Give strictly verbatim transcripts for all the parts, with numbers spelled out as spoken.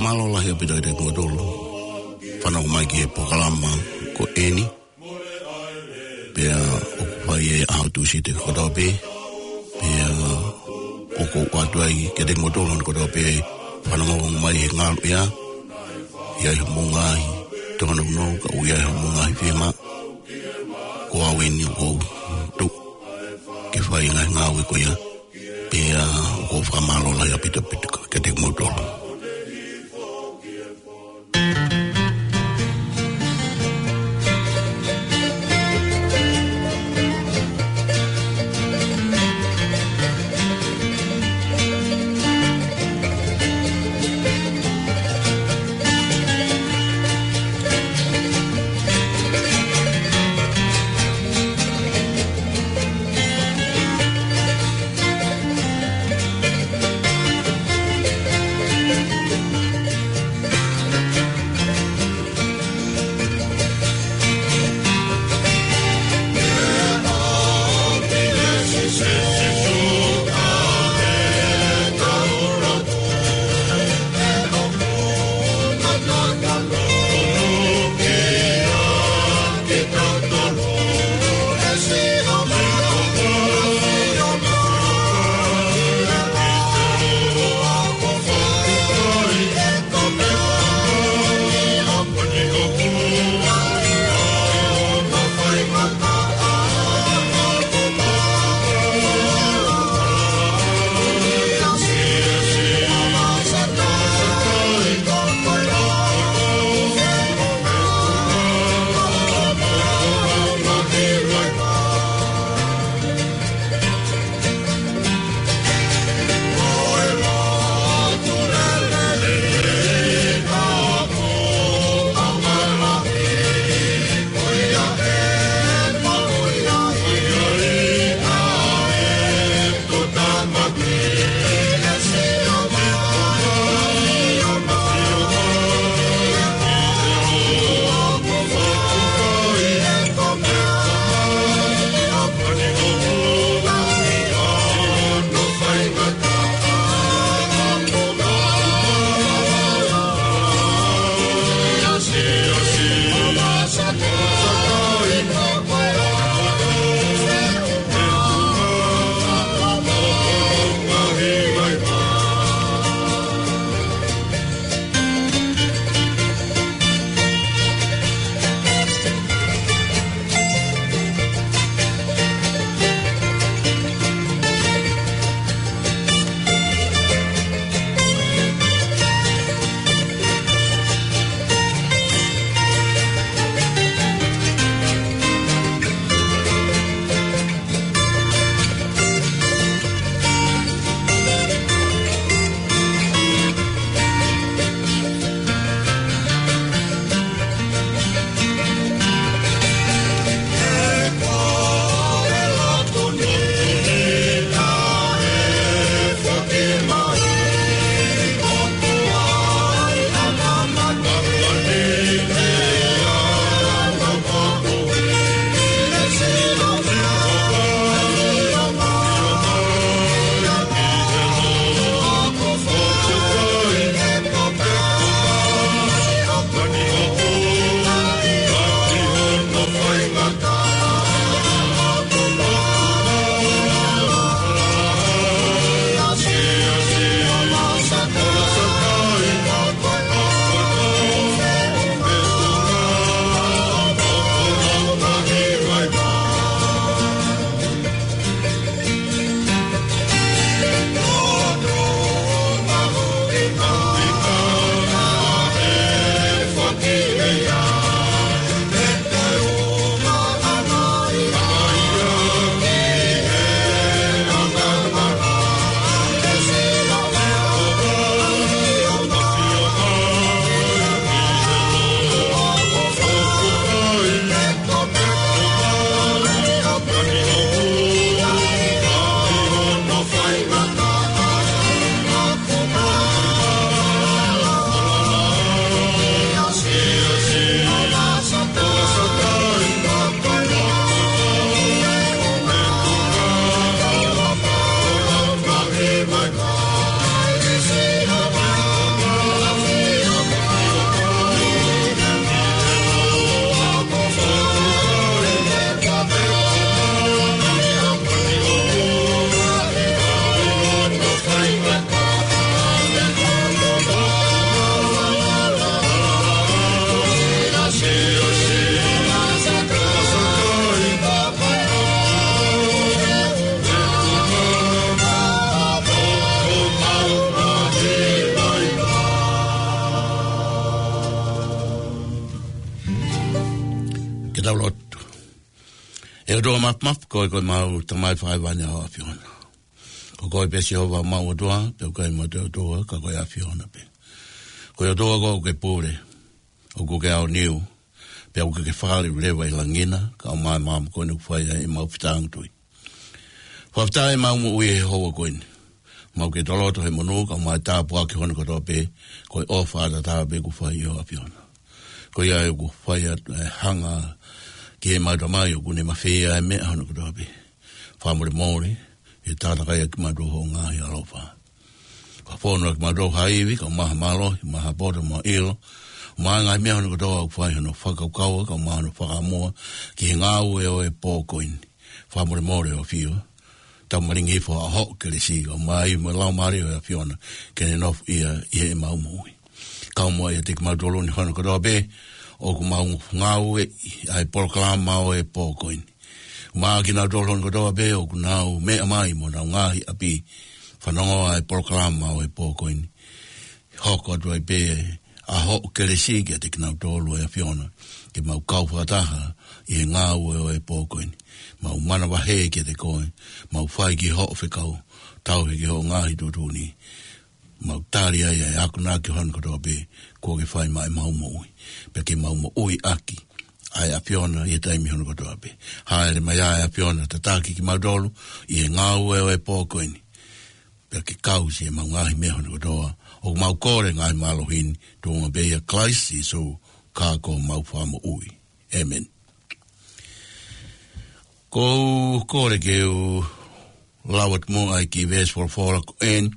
Mālō lahi ʻaupito kiate kimoutolu fanongo mai ki he polokalama ko eni. Pea ʻoku fai ʻi he ʻaho Tūsite kotoa pē. Pea ʻoku ou ʻoatu ai kiate kimoutolu kotoa pē fanongo mai he ngaluʻea. ʻI ai hoʻomou ngaahi tōnounou, ka ʻoku ʻi ai hoʻomou ngaahi fiemaʻu, ko au eni ʻoku ou tuʻu ke fai e ngaahi ngāue ko ia. Pea ʻoku ou fakamālō lahi ʻaupito ʻaupito kiate kimoutolu. ʻE tau lotu. ʻE ʻOtua Mafimafi, ko koe ko ʻemau Tamai fakahēvani ʻa e ʻAfiona. Ko koe pē Sihova ʻemau ʻOtua, pea ʻoku ʻikai ha ʻotua ka ko e ʻAfiona pē. Ko e ʻOtua koe ʻoku ke pule, ʻoku ke aoniu, pea ʻoku ke fāleleva ʻi langi na, kae ʻumaʻā e māmani ko eni ʻoku fai ai ʻemau fetāngutuʻi. Fakafetaʻi ʻemau moʻui he houa ko eni. ʻOku mau kei toloto he monū, kae ʻumaʻā e tāpuaki hono kotoa pē, ko e ʻofa ʻataʻatā pē kuo fai ʻe ho ʻAfiona. Ko ia ʻoku fai atu e hanga ki heʻemau Tamai ʻoku ne mafeia e meʻa hono kotoa pē. Fakamolemole, ʻi he takatakai ʻa kimautolu ho ngaahi ʻaloʻofa. Fakafonu ʻa kimautolu ha ivi, kae ʻumaʻā ha mālohi, ʻumaʻā ha poto mo e ʻilo, ʻumaʻā e ngaahi meʻa hono kotoa ʻoku fai hono fakakaukau, kae ʻumaʻā hono fakamuʻa, ki he ngāue ʻo e pō ko eni. Fakamolemole ʻo fio. Tau malingi hifo ʻa hoʻo kelesi, kae ʻumaʻā mo e Laumālie ʻo e ʻAfiona, ke ne nofoʻia ʻi heʻemau moʻui. Kae ʻumaʻā ʻiate kimautolu ni hono kotoa pē, ʻoku mau ngāueʻi ʻa e polokalama ʻo e pō ko eni. ʻUmaʻā kinautolu hono kotoa pē, ʻoku nau meʻa mai mo honau ngaahi ʻapi, fanongo ʻa e polokalama ʻo e pō ko eni. Hoko atu ai pē ʻa hoʻo kelesi kiate kinautolu ʻe ʻAfiona, ke mau kau fakataha ʻi he ngāue ʻo e pō ko eni. Mau manavahē kiate koe, mau fai ki hoʻo fekau, tauhi ki hoʻo ngaahi tuʻutuʻuni. Mau tali ai ʻa e akonaki hono kotoa pē, kuo ke fai maʻa ʻemau moʻui. Pea ke mau moʻui ʻaki ʻa e ʻAfiona ʻi he taimi hono kotoa pe. Hāʻele mai ʻa e ʻAfiona tataki kimautolu ʻi he ngāue ʻo e pō ko eni. Pea ke kau siʻemau ngaahi meʻa hono kotoa. ʻOku mau kole ngaahi mālohi ni, tuʻunga pē ʻia Kalaisi Sīsū, ka ko homau Fakamoʻui. ʻĒmeni. ʻOku ou kole ke u lau atu muʻa ʻa e kiʻi veesi folofola ko eni,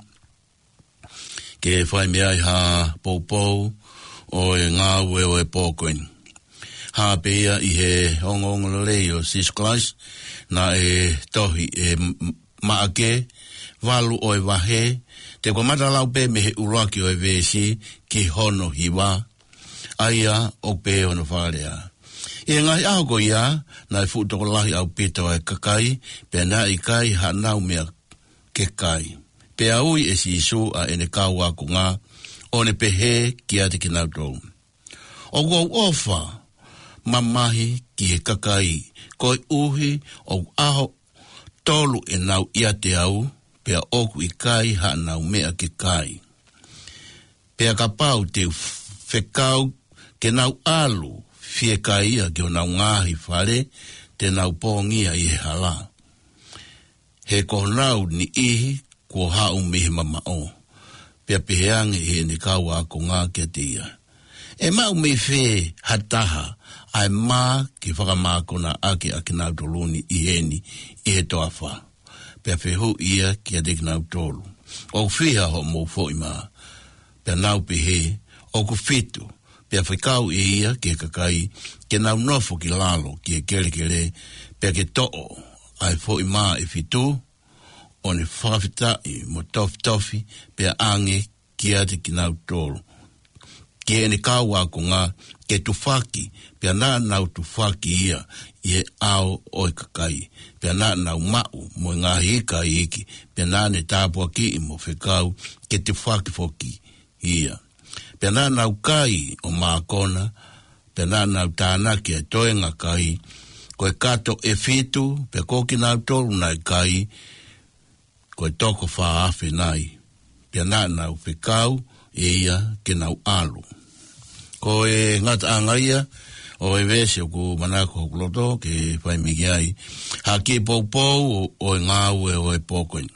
ke fai mei ai ha poupou ʻo e ngāue ʻo e pō ko eni. Hā pē ia ʻi he ongoongolelei ʻo Sīsū Kalaisi, naʻe tohi ʻe M-, Maʻake, valu ʻo e vahe, te u kamata lau pē mei he ʻuluaki ʻo e veesi ki hono hiva, ʻa ia ʻoku pehē hono fakalea. ʻI he ngaahi ʻaho ko ia, naʻe fuʻu tokolahi ʻaupito ʻa e kakai, pea naʻe ʻikai haʻanau meʻa ke kai. Pea ui ʻe Sīsū ʻa ʻene kau ākonga, ʻo ne pehē kiate kinautolu, ʻOku ou ʻofa mamahi ki he kakai, koeʻuhi ʻoku ʻaho tolu ʻenau ʻiate au, pea ʻoku ʻikai haʻanau meʻa ke kai. Pea kapau te u fekau ke nau ʻalu fiekaia ki honau ngaahi fale, te nau pongia ʻi he hala. He ko honau niʻihi kuo haʻu mei he mamaʻo. Pea pehē ange ʻe heʻene kau ākonga kiate ia, ʻE maʻu mei fē ha taha ʻa e mā ke fakamākona ʻaki ʻa kinautolu ni ʻi heni ʻi he toafa? Pea fehuʻi ia kiate kinautolu, ʻOku fiha hoʻomou foʻi mā? Pea nau pehē, ʻOku fitu. Pea fekau ʻe ia ki he kakai ke nau nofo ki lalo ki he kelekele, pea ke toʻo ʻa e foʻi mā ʻe fitu, ʻo ne fakafetaʻi mo tofitofi, pea ʻange kiate kinautolu, ki heʻene kau ākonga, ke tufaki, pea naʻa nau tufaki ia ʻi he ʻao ʻo e kakai, pea naʻa nau maʻu mo e ngaahi ika iiki, pea naʻa ne tāpuakiʻi mo fekau ke tufaki foki ia. Pea naʻa nau kai ʻo mākona, pea naʻa nau tānaki ʻa e toenga kai, ko e kato ʻe fitu, pea ko kinautolu naʻe kai, ko e toko fā afe nai. Pea naʻa nau fekau ʻe ia ke nau ʻalu. Ko e ngataʻanga ia ʻo e veesi ʻoku manako hoku loto ke fai mei ai ha kiʻi poupou ʻo, ʻo e ngāue ʻo e pō ko eni.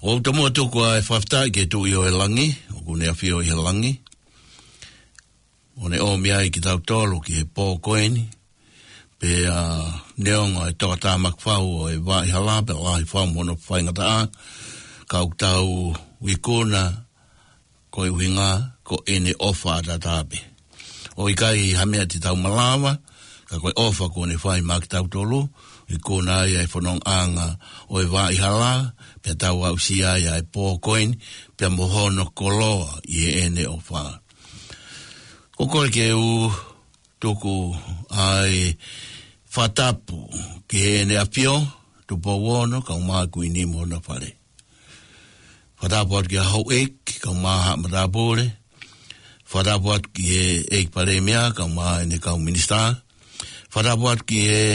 ʻOku ou tomuʻa tuku ʻa e fakafetaʻi ki he Tuʻi ʻo e langi, ʻoku ne ʻafio ʻi he langi, ʻo ne ʻomi ai kitautolu ki he pō ko eni, pea neongo e tokatāmaki fau ʻo e vaʻa hala, pea lahi fau mo hono faingataʻa, ka ʻoku tau ikuna, ko e ʻuhinga, ko ʻene ʻofa ʻataʻatā pē. ʻOku ʻikai ha meʻa te tau malava, ka ko e ʻofa kuo ne fai maʻa kitautolu, ikuna ai ʻa e fonongaʻanga ʻo e vaʻa hala, pea tau aʻusia ai ʻa e pō ko eni, pea mo hono koloa ʻi heʻene ʻofa. ʻOku ou kole ke u tuku ʻa e fakatapu ki heʻene ʻAfio, Tupou Ono, kae ʻumaʻā e Kuini mo hona fale. Fakatapu atu ki he houʻeiki, kae ʻumaʻā haʻa matāpule. Fakatapu atu ki he ʻEiki Palēmia, kae ʻumaʻā ʻene kau minisitā. Fakatapu atu ki he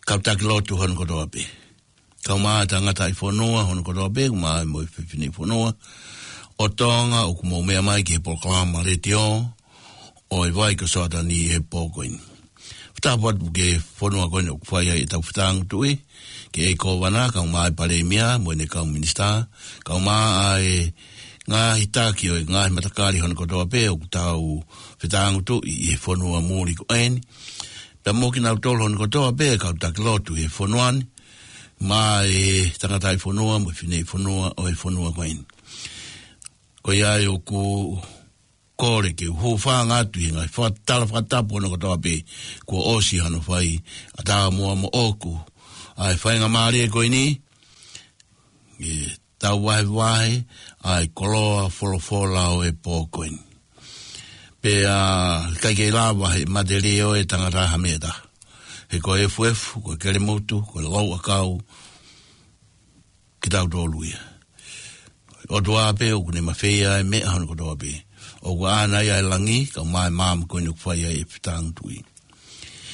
kau taki lotu hono kotoa pē. Kae ʻumaʻā e tangataʻi fonua hono kotoa pē, kae ʻumaʻā mo e fefine fonua ʻo Tonga ʻoku mou meʻa mai ki he polokalama letiō ʻo e Vai ko Soatani he pō ko eni. Fakatapu atu ki he fonua ko eni ʻoku fai ai ʻetau fetāngutuʻi, ki he ʻEiki Kōvana, kae ʻumaʻā e Palēmia, mo ʻene kau minisitā, kae ʻumaʻā e ngaahi taki ʻo e ngaahi matakali hono kotoa pē ʻoku tau fetāngutuʻi ʻi he fonua muli ko eni. Pea mo kinautolu hono kotoa pē kau taki lotu he fonua ni, mo e tangataʻi fonua, mo e fefine fonua ʻo e fonua ko eni. Ko ia ai ʻoku kole ke u hūfanga atu ʻi he ngaahi fakatala fakatapu hono kotoa pē kuo ʻosi hano fai ʻa Tāmoa moʻoku ʻa e faingamālie ko eni, ʻe tau vahevahe ʻa e koloa folofola ʻo e pō ko eni. Pea ʻikai ke lava he matelie ʻo e tangata ha meʻa ʻe taha. He ko e efuefu, ko e kelemutu, ko e louʻakau, kitautolu ia. ʻOtua pē ʻoku ne mafeia e meʻa hono kotoa pē. ʻOku ʻaʻana ia e langi, kae ʻumaʻā e maama ko eni ʻoku fai ai e fetāngutuʻi.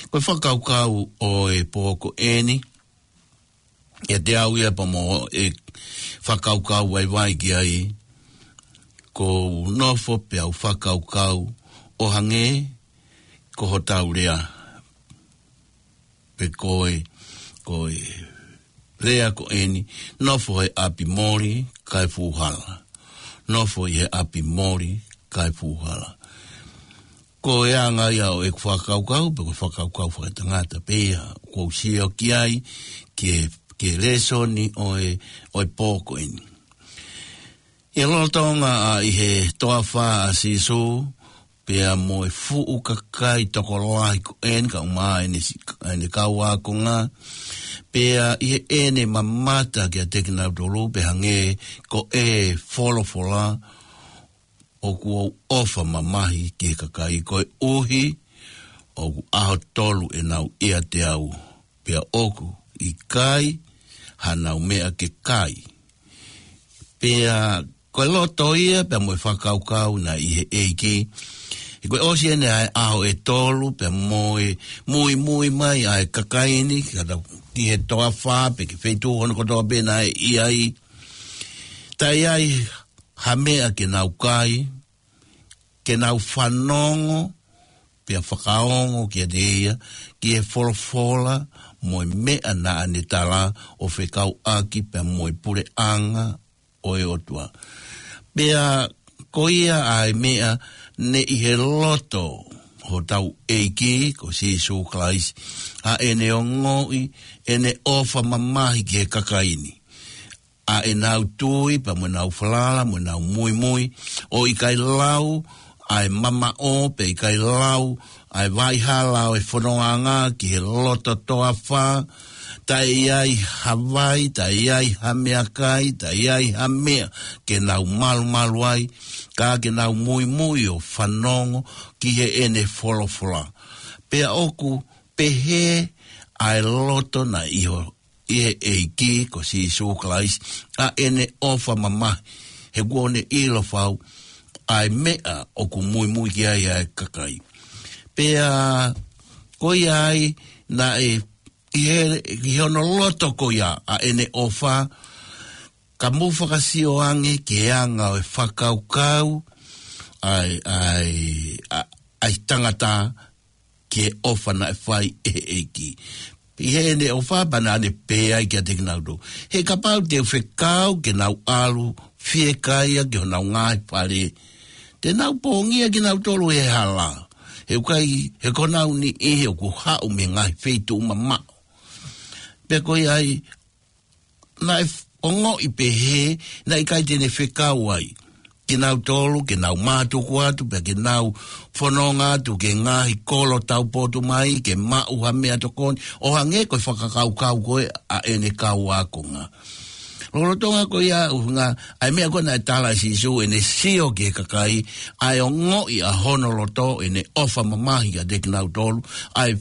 Ko e fakakaukau ʻo e pō ko eni, ʻiate au ia pea mo e fakakaukau vaivai ki ai, ʻoku ou nofo pea u fakakaukau ʻo hangē ko hotau lea. Pe ko e, ko e lea ko eni, nofo he ʻapi moli kae fuʻu hala. Nofo ʻi he ʻapi moli kae fuʻu hala. Ko e anga ia ʻo ʻeku fakakaukau, pe ko e fakakaukau fakatangata pē ia, ʻoku ou sio ki ai, ki he, ki he lēsoni ʻo e, ʻo e pō ko eni. ʻI he lolotonga ʻa ʻi he toafa ʻa Sīsū, pea mo e fuʻu kakai tokolahi ko eni kae ʻumaʻā ʻene si-, ʻene kau ākonga, pea ʻi heʻene mamata kiate kinautolu, pea hangē ko e folofola, ʻoku ou ʻofa mamahi ki he kakai koeʻuhi ʻoku ʻaho tolu ʻenau ʻiate au, pea ʻoku ʻikai hanau meʻa ke kai. Pea ko e loto ia, pea mo e fakakaukau naʻe ʻi he ʻEiki. He ko e ʻosi eni ʻa e ʻaho ʻe tolu, pea mo e muimui mai ʻa e kakai ni, kae tau ki he toafa, pe ki he feituʻu hono kotoa pē naʻe ʻi ai. Taʻe ʻi ai ha meʻa ke nau kai, ke nau fanongo, pea fakaongo kiate ia, ki he folofola, mo e meʻa naʻa ne tala ʻo fekauʻaki, pea mo e puleʻanga ʻo e ʻOtua. Pea ko ia ʻa e meʻa naʻe ʻi he loto hotau ʻEiki ko Sīsū Kalaisi, ʻa ʻene ongoʻi, ʻene ʻofa mamahi ki he kakai ni. ʻA ʻenau tui, pea mo ʻenau falala, mo ʻenau muimui, ʻo ʻikai lau ʻa e mamaʻo, pea ʻikai lau ʻa e vaʻihala ʻo e fonongaʻanga ki he loto toafa, taʻe ʻi ai ha vai, taʻe ʻi ai ha meʻakai, taʻe ʻi ai ha meʻa ke nau malumalu ai, ka ke nau muimui ʻo fanongo ki heʻene folofola. Pea ʻoku pehē ʻa e loto naʻe ʻi ho ʻi he ʻEiki ko Sīsū Kalaisi, ʻa ʻene ʻofa mamahi, he kuo ne ʻilo fau ʻa e meʻa ʻoku muimui ki ai ʻa e kakai. Pea ko ia ai naʻe ʻi he, ʻi hono loto ko ia ʻa ʻene ʻofa, ka mou fakasio ange ki he anga ʻo e fakakaukau ʻa e, ʻa e, ʻa, ʻa e tangata ki he ʻofa naʻe fai ʻe he ʻEiki. ʻI heʻene ʻofa pea naʻa ne pehē ai kiate kinautolu, he kapau te u fekau ke nau ʻalu fiekaia ki honau ngaahi fale, te nau pongia kinautolu he hala. He ʻoku ʻikai, he ko honau niʻihi ʻoku haʻu mei he ngaahi feituʻu mamaʻo. Pea ko ia ai, naʻe f-, ongoʻi pehē, naʻe ʻikai te ne fekau ai kinautolu ke nau mātuku atu, pea ke nau fononga atu ki he ngaahi kolo taupotu mai, ke maʻu ha meʻatokoni, ʻo hangē ko e fakakaukau ko ē ʻa ʻene kau ākonga. Lolotonga ko ia ʻuhinga, ʻa e meʻa ko ē naʻe tala ʻe Sīsū, ʻene sio ki he kakai, ʻa e ongoʻi ʻa hono loto, ʻene ʻofa mamahi kiate kinautolu, ʻa e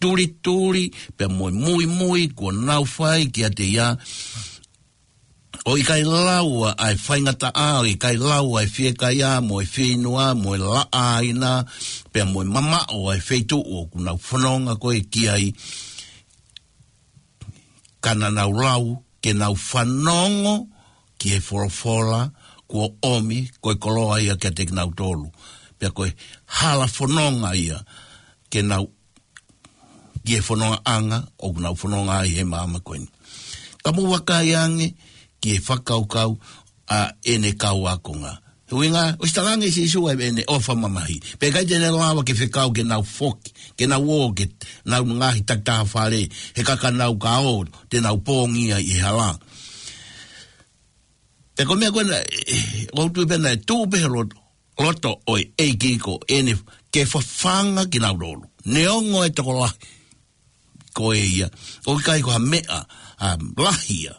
tulituli, pea mo e muimui kuo nau fai kiate ia, ʻOku ʻikai lau ʻa e faingataʻa, ʻoku ʻikai lau ʻa e fiekaia mo e fieinua mo e laʻaina, pea mo e mamaʻo ʻa e feituʻu ʻoku nau fononga ko ē ki ai, ka naʻa nau lau ke nau fanongo ki he folofola kuo ʻomi ko e koloa ia kiate kinautolu. Pea ko e hala fononga ia ke nau ki he fonongaʻanga ʻoku nau fononga ai he māmani ko eni. Ka mou vakai ange ki he fakakaukau ʻa ʻene kau ākonga. He ʻuhinga, ʻosi talaange ʻe Sīsū ʻa ʻene ʻofa mamahi. Pea ʻikai te ne lava ke fekau ke nau foki, ke nau ō ki heʻenau ngaahi takitaha fale, he ka ka nau ka ō, te nau pōngia ʻi he hala. Pea ko e meʻa ko ena, eh, ʻoku ou tui pē naʻe tuʻu pē he loto, loto ʻo e ʻEiki ko eni ke fafanga kinautolu. Neongo e tokolahi ko ē ia, ʻoku ʻikai ko ha meʻa, um, lahi ia.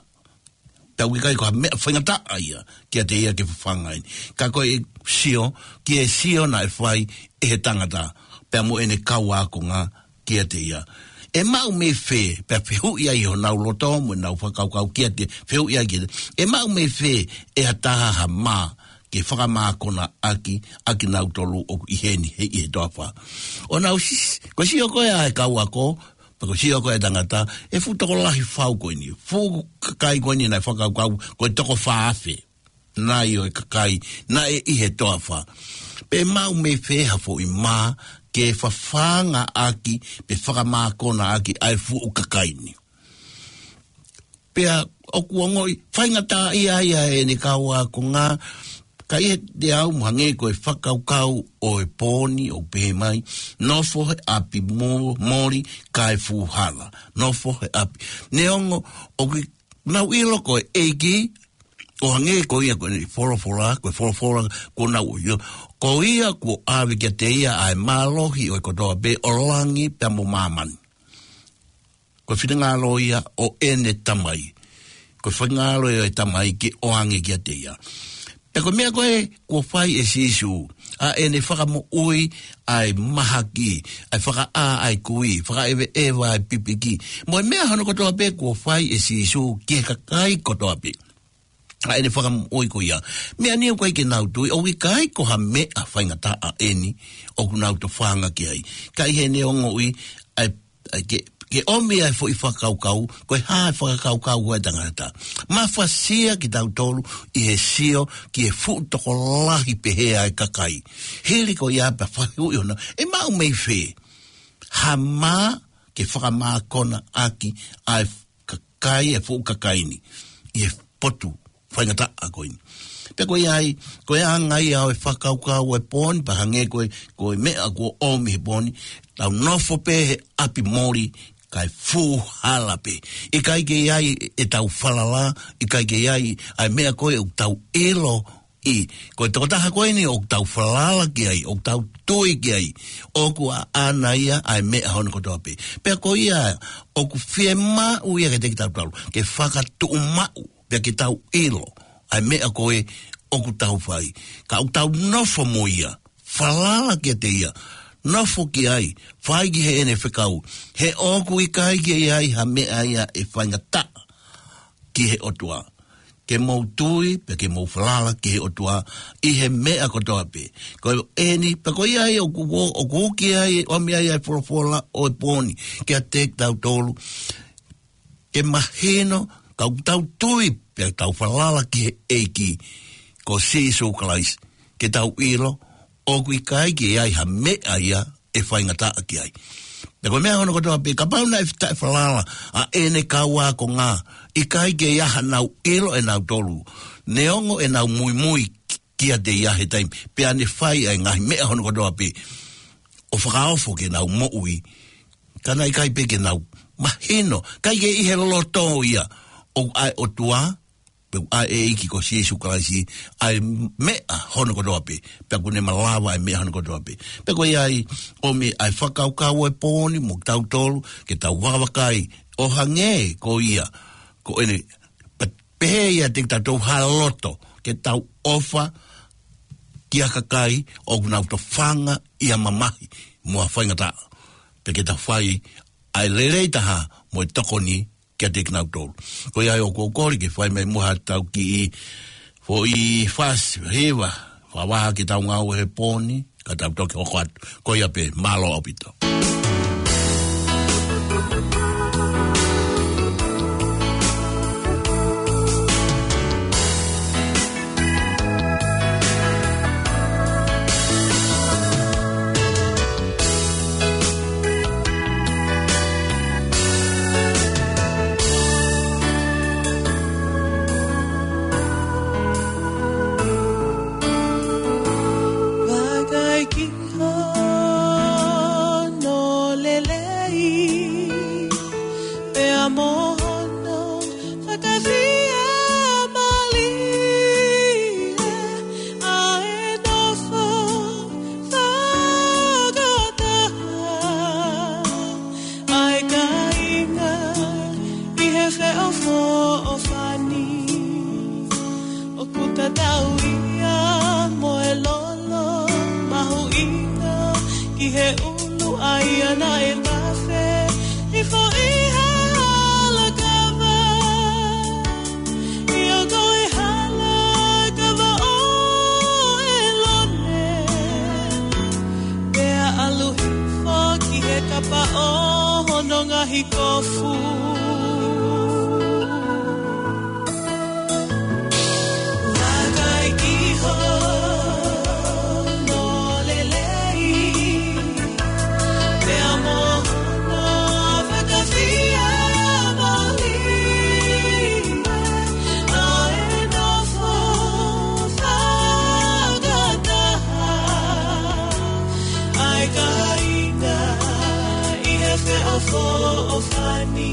Pea ʻoku ʻikai ko ha meʻa faingataʻa ia kiate ia ke fafanga eni. Ka ko e sio, ki he sio naʻe fai ʻe he tangata, pea mo ʻene kau ākonga kiate ia. ʻE maʻu mei fē, pea fehuʻi ai honau loto mo ʻenau fakakaukau kiate, fehuʻi ai kiate. ʻE maʻu mei fē ʻe ha taha ha mā ke fakamākona ʻaki, ʻakinautolu ʻoku ʻi heni, he ʻi he toafa. ʻO nau sisi, ko e sio ko ē ʻa e kau ako, pea ko e sio ko ē ʻa e tangata, ʻe fuʻu tokolahi fau ko eni, fuʻu kakai ko eni naʻe fakakaukau, ko e toko fā afe nai ʻo e kakai naʻe ʻi he toafa. Pea ʻe maʻu mei fē ha foʻi mā ke fafanga ʻaki, pe fakamākona ʻaki ʻa e fuʻu kakai ni. Pea ʻoku ongoʻi faingataʻaʻia ai ʻa ʻene kau ākonga, ka ʻi heʻene ʻalu mo hangē ko e fakakaukau ʻo e pō ni ʻoku pehē mai, nofo he ʻapi mo-, moli kae fuʻu hala. Nofo he ʻapi. Neongo ʻoku nau ʻilo ko e ʻEiki, ʻo hangē ko ia ko eni folofola, ko e folofola kuo nau ʻilo. Ko ia kuo ʻave kiate ia ʻa e mālohi ʻo e kotoa pē ʻo langi pea mo māmani. Ko e finangalo ia ʻo ʻene Tamai. Ko e finangalo ia ʻo e Tamai ke ʻoange kiate ia. Pea ko e meʻa ko ē kuo fai ʻe Sīsū, ʻa ʻene fakamoʻui ʻa e mahaki, ʻa e fakaʻā ʻa e kui, fakaʻeveʻeva ʻa e pipiki. Mo e meʻa hono kotoa pē kuo fai ʻe Sīsū ki he kakai kotoa pē. ʻA ʻene fakamoʻui ko ia. Meʻa ni ʻoku ʻikai ke nau tui, ʻoku ʻikai ko ha meʻa faingataʻa eni, ʻoku nau tofanga ki ai. Ka ʻi heʻene ongoʻi, ʻa e, ʻa e ke, ke ʻomi ʻa e foʻi fakakaukau, ko e hā e fakakaukau ʻa e tangata. Mafasia kitautolu ʻi he sio, ki he fuʻu tokolahi pehē ʻa e kakai. Hili ko ia pea fehuʻi hono, ʻe maʻu mei fē ha mā ke fakamākona ʻaki ʻa e kakai, e fuʻu kakai ni, ʻi he potu faingataʻa ko eni. Pea ko ia ai, ko e anga ia ʻo e fakakaukau ʻo e pō ni, pea hangē ko e, ko e meʻa kuo ʻomi he pō ni, tau nofo pē he ʻapi moli, kae fuʻu hala pē. ʻIkai ke ʻi ai ʻetau falala, ʻikai ke ʻi ai ʻa e meʻa ko ē ʻoku tau ʻilo ʻi, ko e tokotaha ko eni ʻoku tau falala ki ai, ʻoku tau tui ki ai, ʻoku ʻaʻana ia ʻa e meʻa hono kotoa pē. Pea ko ia, ʻoku fiemaʻu ia kiate kitautolu, ke fakatuʻumaʻu, pea ke tau ʻilo ʻa e meʻa ko ē ʻoku tau fai. Ka ʻoku tau nofo mo ia, falala kiate ia, nofo ki ai, fai ki heʻene fekau, he ʻoku ʻikai ke ʻi ai ha meʻa ia ʻe faingataʻa ki he ʻOtua. Ke mou tui, pea ke mou falala ki he ʻOtua, ʻi he meʻa kotoa pē. Ko eni, pea ko ia ai ʻoku, ʻoku ʻomi ai ʻa e folofola ʻo e pō ni kiate kitautolu. Ke mahino, ka ʻoku tau tui, pea tau falala ki he ʻEiki, ko Sīsū Kalaisi, ke tau ʻilo, ʻoku ʻikai ke ʻi ai ha meʻa ia ʻe faingataʻa ki ai. Pea ko e meʻa hono kotoa pē, kapau naʻe taʻefalala ʻa ʻene kau ākonga, ʻikai ke ʻi ai haʻanau ʻilo ʻe nautolu, neongo ʻenau muimui kiate ia he taimi, pea ne fai ʻa e ngaahi meʻa hono kotoa pē, ʻo fakaofo ke nau moʻui, ka naʻe ʻikai pē ke nau mahino, ʻikai ke ʻi he loto ia, ʻoku ʻa e ʻOtua, pea ʻa e ʻEiki ko Sīsū Kalaisi, ʻa e meʻa hono kotoa pē, pea ʻoku ne malava ʻa e meʻa hono kotoa pē. Pea ko ia ai, ʻomi ʻa e fakakaukau ʻo e pō ni mo kitautolu, ke tau vakavakai, ʻo hangē ko ia, ko ʻene, pe-, pehē ia kiate kitautolu ha loto, ke tau ʻofa ki ha kakai ʻoku nau tofanga ʻi ha mamahi, mo ha faingataʻa. Pea ke tau fai ʻa e lelei taha mo e tokoni kiate kinautolu. Ko ia ai ʻoku ou kole ke fai mai muʻa haʻatau kiʻi foʻi fasi, hiva, fakavaha ki heʻetau ngāue he pō ni, ka tau toki hoko atu. Ko ia pē, mālō ʻaupito. Vakai ki hono lelei, pea mo hono fakafiemālie, ʻa e nofo fakataha ʻa e kāinga ʻi he feʻofoʻofani. ʻOku tatau ia mo e lolo mahuʻinga ki he ʻulu ʻa ia naʻe tafe hifo ʻi he hala kava. ʻIo, ko e hala kava ʻo ʻĒlone, pea ʻalu hifo ki he kapa ʻo hono ngaahi kofu. Vakai ki hono lelei, pea mo hono fakafiemālie, ʻa e nofo fakataha ʻa e kāinga ʻi he feʻofoʻofani.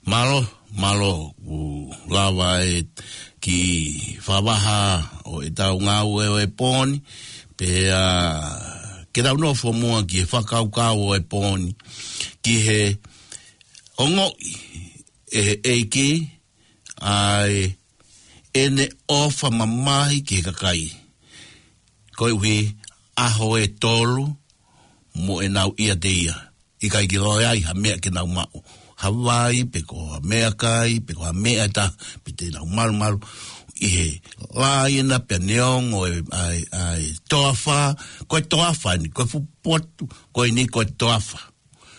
Mālō, mālō, ʻoku lava e kiʻi fakavaha ʻo ʻetau ngāue ʻo e pō ni, pea ke tau nofo muʻa ki he fakakaukau ʻo e pō ni, ki he ongoʻi ʻe he ʻEiki ʻa ʻene ʻofa mamahi ki he kakai. Koeʻuhi ʻaho ʻe tolu mo ʻenau ʻiate ia. ʻIkai ke ʻi ai ha meʻa ke nau maʻu. Ha vai, pe ko ha meʻakai, pe ko ha meʻa ʻe taha, pe te nau malumalu ʻi he laina pea neongo e, ʻa e, ʻa e toafa, ko e toafa ni, ko e fuʻu potu, ko eni ko e toafa.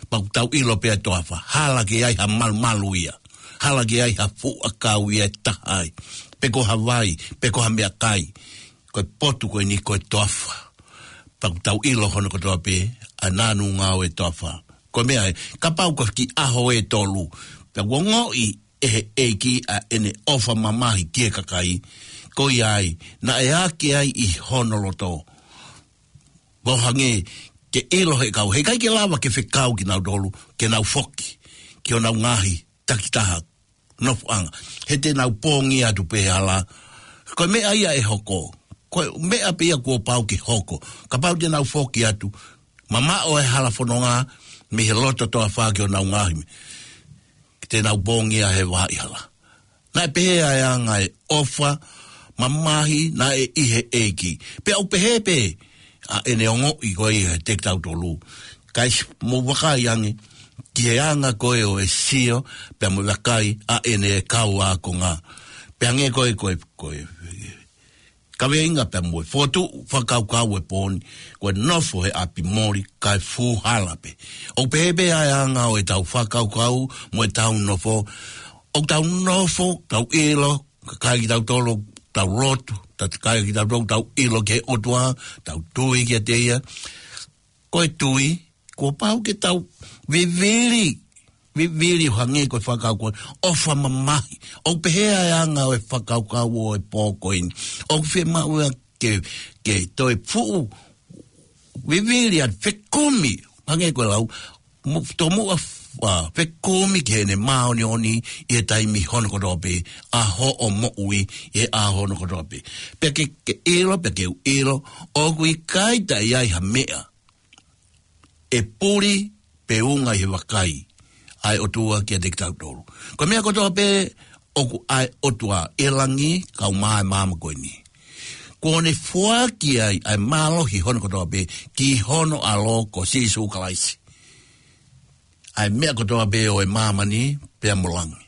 Pea ʻoku tau ʻilo pē ʻa e toafa, hala ke ʻi ai ha malumalu ia. Hala ke ʻi ai ha fuʻu ʻakau ia ʻe taha ai. Pe ko ha vai, pe ko ha meʻakai. Ko e potu ko eni ko e toafa. Pea ʻoku tau ʻilo hono kotoa pē, ʻa e nānunga ʻo e toafa. Ko e meʻa ē, kapau ko e kiʻi ʻaho ʻe tolu. Pea ʻoku ongoʻi ʻe he ʻEiki ʻa ʻene ʻofa mamahi ki he kakai. Ko ia ai, naʻe ake ai ʻi hono loto. ʻO hangē ke ʻilo he kau, heʻikai ke lava ke fekau kinautolu, ke nau foki ki honau ngaahi takitaha nofoʻanga. He te nau pongia atu pē hala. Ko e meʻa ia ʻe hoko. Ko e meʻa pē ia kuo pau ke hoko. Kapau te nau foki atu, mamaʻo e hala fononga mei he loto toafa ki honau ngaahi meʻa. Te nau pongia he vahaʻa hala. Naʻe pehē ʻa e anga e ʻofa mamahi naʻe ʻi he ʻEiki. Pea ʻoku pehē pē ʻa ʻene ongoʻi ko ia ʻe kitautolu. Kae mou vakai ange ki he anga ko ē ʻo e sio, pea mou vakai ʻa ʻene kau ākonga. Pea hangē ko e, ko e, ko e kaveinga pea mo e fokotuʻu fakakaukau ʻo e pō ni, ko e nofo he ʻapi moli kae fuʻu hala pē. ʻOku pehē pē ʻa e anga ʻo ʻetau fakakaukau mo ʻetau nofo. ʻOku tau nofo, tau ʻilo, kakai kitautolu, tau lotu, tau kakai kitautolu, tau ʻilo ki he ʻOtua, tau tui kiate ia. Ko e tui, kuo pau ke tau vivili, vivili ʻo hangē ko e fakakaukau, ʻofa mamahi. ʻOku pehē ʻa e anga ʻo e fakakaukau ʻo e pō ko eni. ʻOku fiemaʻu ia ke, ke toe fuʻu vivili ʻa e fekumi, hangē ko e lau, mo-, tomuʻa f-, ʻa, fekumi ki heʻene māʻoniʻoni ʻi he taimi hono kotoa pē, ʻa hoʻo moʻui ʻi he ʻaho hono kotoa pē. Pea ke, ke ʻilo, pea ke u ʻilo, ʻoku ʻikai toe ʻi ai ha meʻa ʻe puli pe unga ʻi he vakai ʻa e ʻOtua kiate kitautolu. Ko e meʻa kotoa pē ʻoku ʻa e ʻOtua ʻi langi kae ʻumaʻā e māmani ko eni. Kuo ne foaki ai ʻa e mālohi hono kotoa pē ki hono ʻAlo ko Sīsū Kalaisi. ʻA e meʻa kotoa pē ʻo e māmani pea mo langi.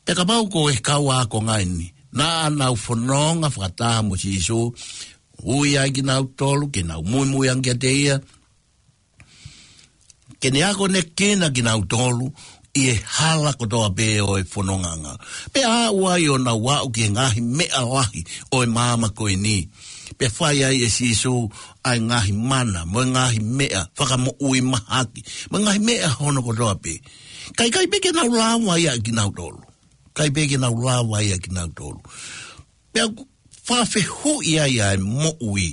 Pea kapau ko e kau ākonga eni, naʻa nau fononga fakataha mo Sīsū, ui ai kinautolu ke nau muimui ange kiate ia, ke ne akonekina kinautolu ʻi he hala kotoa pē ʻo e fonongaʻanga. Pea aʻu ai ʻo nau aʻu ki he ngaahi meʻa lahi ʻo e māmani ko eni. Pea fai ai ʻe Sīsū ʻa e ngaahi mana, mo e ngaahi meʻa fakamoʻui mahaki, mo e ngaahi meʻa hono kotoa pē. Kae ʻikai pē ke nau lava ia kinautolu. ʻIkai pē ke nau lava ia kinautolu. Pea ʻoku fakafehuʻi ai ʻa e moʻui.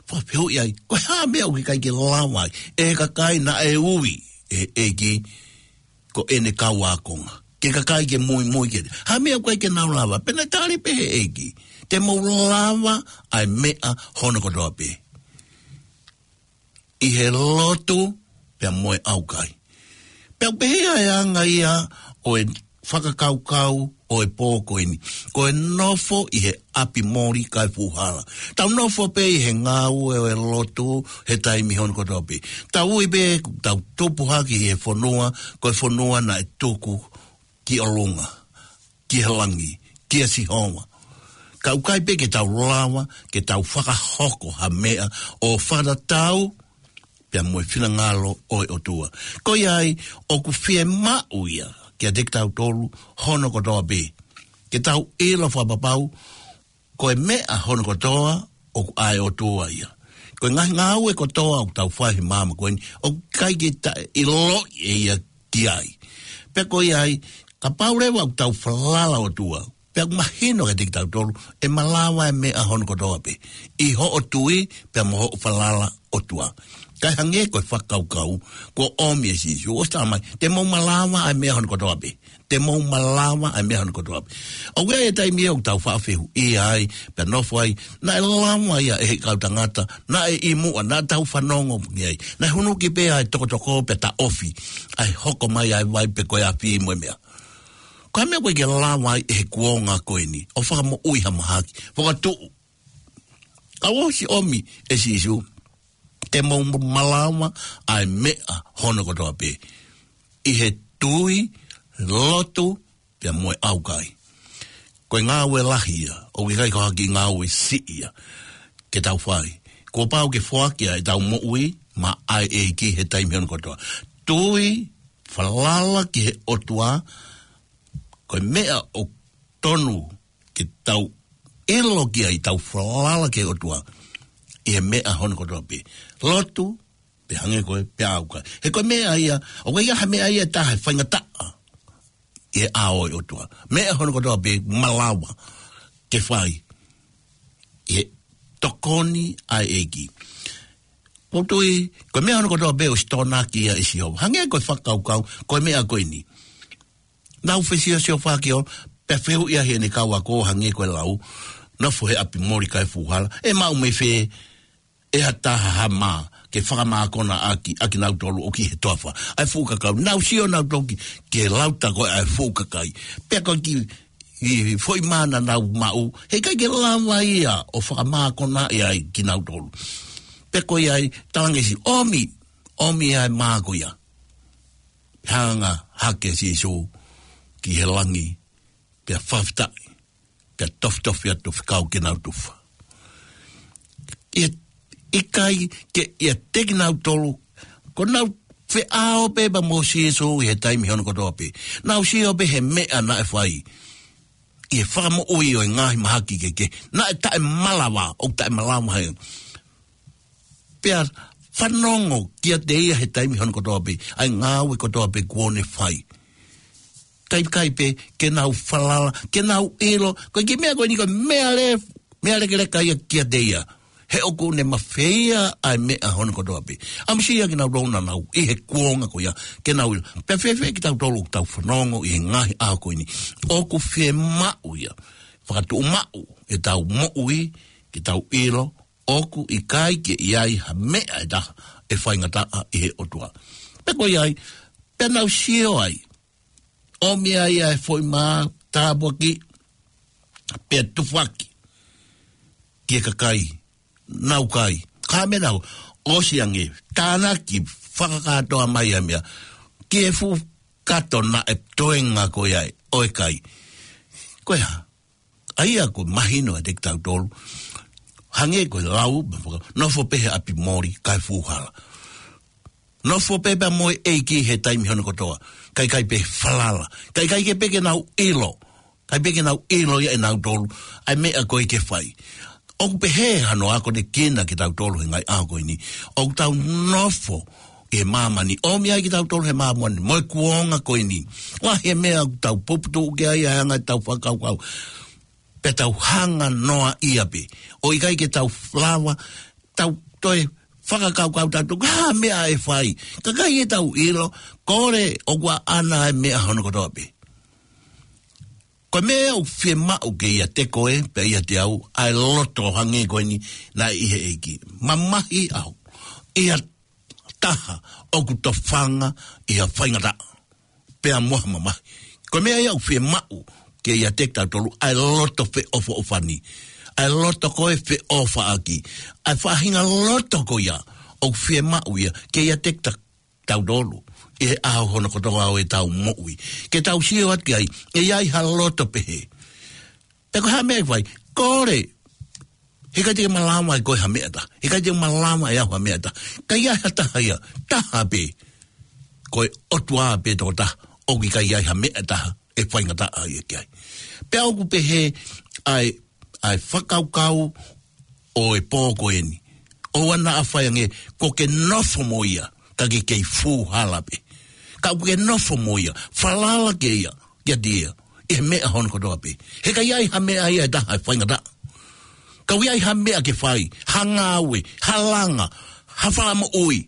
Fakafehuʻi ai, ko e hā e meʻa ʻoku ʻikai ke lava ai ʻe he kakai naʻe ui ʻe he ʻEiki ko ʻene kau ākonga, ke kakai ke muimui kiate ia. Hā e meʻa ʻoku ʻikai ke nau lava? Pea naʻe tali pē he ʻEiki, te mou lava ʻa e meʻa hono kotoa pē ʻi he lotu pea mo e ʻaukai. Pea ʻoku pehē ʻa e anga ia ʻo e fakakaukau ʻo e pō ko eni. Ko e nofo ʻi he ʻapi moli kae fuʻu hala. Tau nofo pē ʻi he ngāue ʻo e lotu he taimi hono kotoa pē. Tau ui pē, tau tupu hake ʻi he fonua, ko e fonua naʻe tuku ki ʻolunga, ki he langi, kia Sihova. Ka ʻoku ʻikai pē ke tau lava ke tau fakahoko ha meʻa ʻo fakatatau pea mo e finangalo ʻo e ʻOtua. Ko ia ai, ʻoku fiemaʻu ia kiate kitautolu hono kotoa pē, ke tau ʻilo fakapapau ko e meʻa hono kotoa ʻoku ʻa e ʻOtua ia. Ko e ngaahi ngāue kotoa ʻoku tau fai he māmani ko eni, ʻoku ʻikai ke ta-, ʻiloʻi ʻe ia ki ai. Pea ko ia ai, kapau leva ʻoku tau falala ʻOtua, pea ʻoku mahino kiate kitautolu ʻe malava e meʻa hono kotoa pē ʻi hoʻo tui pea mo hoʻo falala ʻOtua. Kae hangē ko e fakakaukau, kuo ʻomi ʻe Sīsū, ʻosi talamai, te mou malava ʻa e meʻa hono kotoa pē. Te mou malava ʻa e meʻa hono kotoa pē. ʻOku ʻi ai e taimi ʻoku tau faʻa fehuʻia ai, pea nofo ai, naʻe lava ia ʻe he kau tangata, naʻe ʻi muʻa, naʻa tau fanongo ki ai. Naʻe hunuki pē ʻa e tokotoko pea taʻofi, ʻa e hoko mai ʻa e vai pe ko e afi mo e meʻa. Ko e meʻa ko ē ke lava ai ʻe he kuonga ko eni, ʻo fakamoʻui ha mahaki, fakatuʻu. Ka ʻosi ʻomi ʻe Sīsū, te mou malava ʻa e meʻa hono kotoa pē. ʻI he tui, lotu, pea mo e ʻaukai. Ko e ngāue lahi ia, ʻoku ʻikai ko ha kiʻi ngāue siʻi ia, ke tau fai. Kuo pau ke foaki ʻa ʻetau moʻui, maʻa e ʻEiki he taimi hono kotoa. Tui, falala ki he ʻOtua, ko e meʻa ʻoku tonu ke tau ʻilo ki ai, tau falala ki he ʻOtua ʻi he meʻa hono kotoa pē. Lotu, pea hangē ko e, pea ʻaukai. He ko e meʻa ia, ʻoku ʻikai ha meʻa ia ʻe taha ʻe faingataʻa ʻi he ʻao ʻo e ʻOtua. Meʻa hono kotoa pē malava ke fai ʻi he tokoni ʻa e ʻEiki. Ko e tui, ko e meʻa hono kotoa pē ʻosi tokonaki ia ʻe Sihova. Hangē ko e fakakaukau, ko e meʻa ko eni. Nau fesiosiofaki ʻo, pea fehuʻia ʻe heʻene kau ako hangē ko e lau, nofo he ʻapi moli kae fuʻu hala, ʻe maʻu mei fē ʻe ha taha ha mā, ke fakamākona ʻaki, ʻakinautolu ʻoku ʻi he toafa ʻa e fuʻu kakai. Nau sio nautolu ki, ki he lau tā ko ē ʻa e fuʻu kakai. Pea ko e kiʻi, kiʻi foʻi mā naʻa nau maʻu, heʻikai ke lava ia ʻo fakamākona ia ai kinautolu. Pea ko ia ai, talangesi, ʻomi, ʻomi ʻa e mā ko ia. Hanga hake Sīsū ki he langi, pea fakafetaʻi, pea tofitofi atu fekau ke nau tufa. ʻIkai, ʻikai ke ʻiate kinautolu, ko ʻenau feʻao pē pea mo Sīsū ʻi he taimi hono kotoa pē. Nau sio pē he meʻa naʻe fai ʻi he fakamoʻui ʻo e ngaahi mahaki kehekehe. Naʻe taʻemalava, ʻoku taʻemalava he pea fanongo kiate ia he taimi hono kotoa pē, ʻa e ngāue kotoa pē kuo ne fai. Kae ʻikai pē ke nau falala, ke nau ʻilo, ko e kiʻi meʻa ko eni ko e meʻa le, meʻa lekeleka ia kiate ia. He ʻoku ne mafeia ʻa e meʻa hono kotoa pē. ʻAmusia kinautolu naʻa nau ʻi he kuonga ko ia, ke nau ʻilo. Pea fēfē kitautolu ʻoku tau fanongo ʻi he ngaahi ʻaho ko eni. ʻOku fiemaʻu ia, fakatuʻumaʻu ʻetau moʻui, ke tau ʻilo, ʻoku ʻikai ke ʻi ai ha meʻa ʻe taha ʻe faingataʻa ʻi he ʻOtua. Pea ko ia ai, pea nau sio ai, ʻomi ai ʻa e foʻi mā tāpuaki, pea tufaki ki he kakai, nau kai. Ka meʻa nau, ʻosi ange, tānaki, fakakātoa mai ʻa e meʻa, ki he fuʻu kato naʻe toenga ko ia ʻo e kai. Ko e hā? ʻA ia ko e mahino ʻiate kitautolu. Hangē ko e lau, nofo pē he ʻapi moli, kae fuʻu hala. Nofo pē pea mo e ʻEiki he taimi hono kotoa. Kae ʻikai pē falala. Kae ʻikai ke pē ke nau ʻilo. Kae pē ke nau ʻilo ia ʻe nautolu. ʻA e meʻa ko ē ke fai. ʻOku pehē hano akonekina kitautolu he ngaahi ʻaho ko eni. ʻOku tau nofo ʻi he māmani. ʻOmi ai kitautolu he māmani. Mo e kuonga ko eni. Lahi e meʻa ʻoku tau puputuʻu ki ai ʻa e anga ʻetau fakakaukau. Pea tau hanga noa ia pē. ʻO ʻikai ke tau lava, tau toe fakakaukau tautolu, ha meʻa ʻe fai. Kae ʻikai ke tau ʻilo, kole ʻoku ʻaʻana ʻa e meʻa hono kotoa pē. Ko e meʻa ʻoku fiemaʻu ke ʻiate koe, pea ʻiate au, ʻa e loto hangē ko eni naʻe ʻi he ʻEiki. Mamahi ʻaho, ʻi ha taha ʻoku tofanga ʻi ha faingataʻa, pea mo ha mamahi. Ko e meʻa ia ʻoku fiemaʻu ke ʻiate kitautolu ʻa e loto feʻofoʻofani. ʻA e loto ko ē feʻofaʻaki. ʻA e faʻahinga loto ko ia ʻoku fiemaʻu ia ke ʻiate kita-, kitautolu. ʻI he ʻaho hono kotoa ʻo ʻetau moʻui. Ke tau sio atu ki ai, ʻe ʻi ai ha loto pehē. Pea ko e hā meʻa ʻe fai, kole. Heʻikai te ke malava ʻe koe ha meʻa ʻe taha. Heʻikai te ke malava ʻe au ha meʻa ʻe taha. Ka ʻi ai ha taha ia, taha pē. Ko e ʻOtua pē tokotaha, ʻoku ʻikai ʻi ai ha meʻa ʻe taha ʻe faingataʻa ia ki ai. Pea ʻoku pehē ʻa e, ʻa e fakakaukau ʻo e pō ko eni. ʻOua naʻa fai ange, ko ke nofo mo ia, ka ke kei fuʻu hala pē. Ka ʻoku ke nofo mo ia, falala ki ai ia, kiate ia, ʻi he meʻa hono kotoa pē. Heʻikai ʻi ai ha meʻa ia ʻe taha ʻe faingataʻa. Ka ʻoku ʻi ai ha meʻa ke fai, ha ngāue, ha langa, ha fala moʻui,